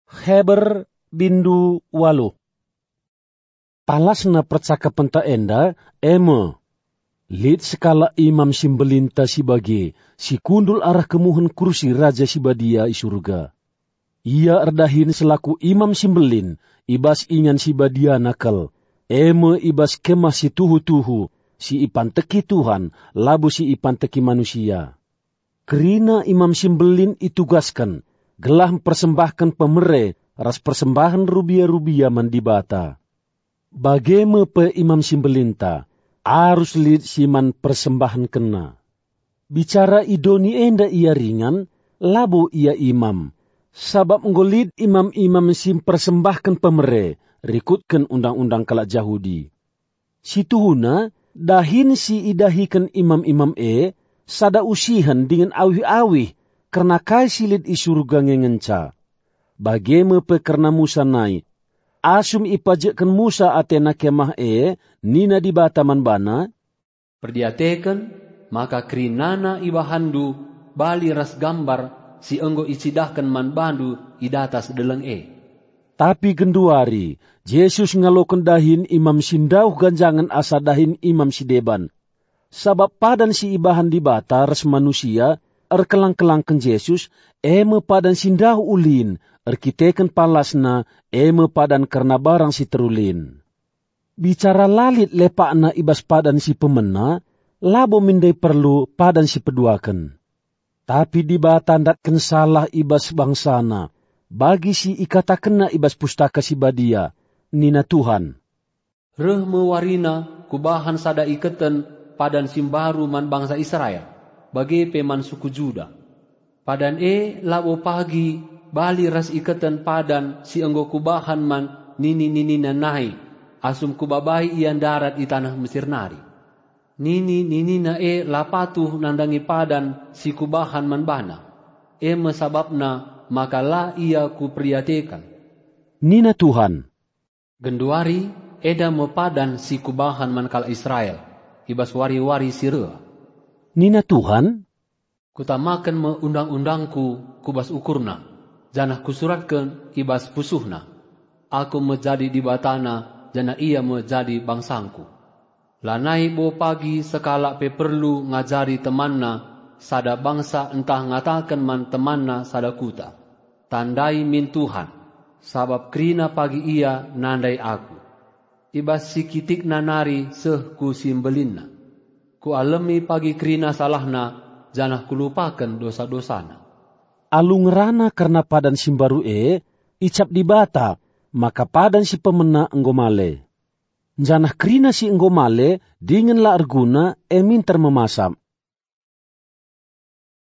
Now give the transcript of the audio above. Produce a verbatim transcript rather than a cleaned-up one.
Heber bindu waluh. Palasna percakapenta enda e me: Lit sekalak Imam si Mbelinta si bage, si kundul arah kemuhen kursi Raja si Badia i Surga. Ia erdahin selaku Imam si Mbelin i bas ingan si badiana kal, e me i bas Kemah si tuhu-tuhu, si ipanteki Tuhan, labo si ipanteki manusia. Kerina Imam si Mbelin itugasken gelah mpersembahken pemere ras persembahen rubia-rubia man Dibata. Bage me pe Imam si Mbelinta, arus lit si man persembahenkenna. Bicara i doni enda ia ringan, labo ia imam, sabap enggo lit imam-imam si mpersembahken pemere rikutken undang-undang kalak Jahudi. Situhuna, dahin si idahiken imam-imam e sada usihen dingen awih-awih kerna kai si lit i Surga nge ngenca. Bage me pe kerna Musa nai. Asum ipajekken Musa atena Kemah e, nina Dibata man bana, "Perdiateken maka kerinana ibahanndu bali ras gambar si enggo icidahken man bandu i datas deleng e." Tapi genduari, Jesus ngaloken dahin imam si ndauh ganjangen asa dahin imam si deban. Sabap padan si ibahan Dibata ras manusia erkelang-kelangken Jesus, e me padan si ndauh ulin erkiteken palasna, e me padan kerna barang si terulin. Bicara la lit lepakna i bas padan si pemena, labo min ndai perlu padan si peduaken. Tapi Dibata ndatken salah i bas bangsaNa, bagi si ikatakenNa i bas Pustaka Si Badia, nina Tuhan, "Reh me warina Kubahan sada iketen padan si mbaru man bangsa Israel, bage pe man suku Juda. Padan e labo pagi bali ras iketen padan si enggo Kubahan man nini-ninina nai, asum Kubabai ia ndarat i taneh Mesir nari. Nini-ninina e la patuh nandangi padan si Kubahan man bana. E me sabapna maka la ia Kuperdiateken," nina Tuhan. "Genduari enda me padan si Kubahan man kalak Israel i bas wari-wari si reh," nina Tuhan. "Kutamaken me undang-undangKu ku bas ukurna, janah Kusuratken i bas pusuhna. Aku me jadi Dibatana, janah ia me jadi bangsangKu. Lanai bo pagi sekalak pe perlu ngajari temanna sada bangsa ntah ngataken man temanna sada kuta, 'Tandai min Tuhan,' sabap kerina pagi ia nandai Aku. I bas si kitikna nari seh ku si mbelinna. Kualemi pagi kerina salahna, janah Kulupaken dosa-dosana." Alu ngerana kerna padan si mbaru e, icap Dibata maka padan si pemena enggo male. Janah kerina si enggo male dingen la erguna e minter memasap.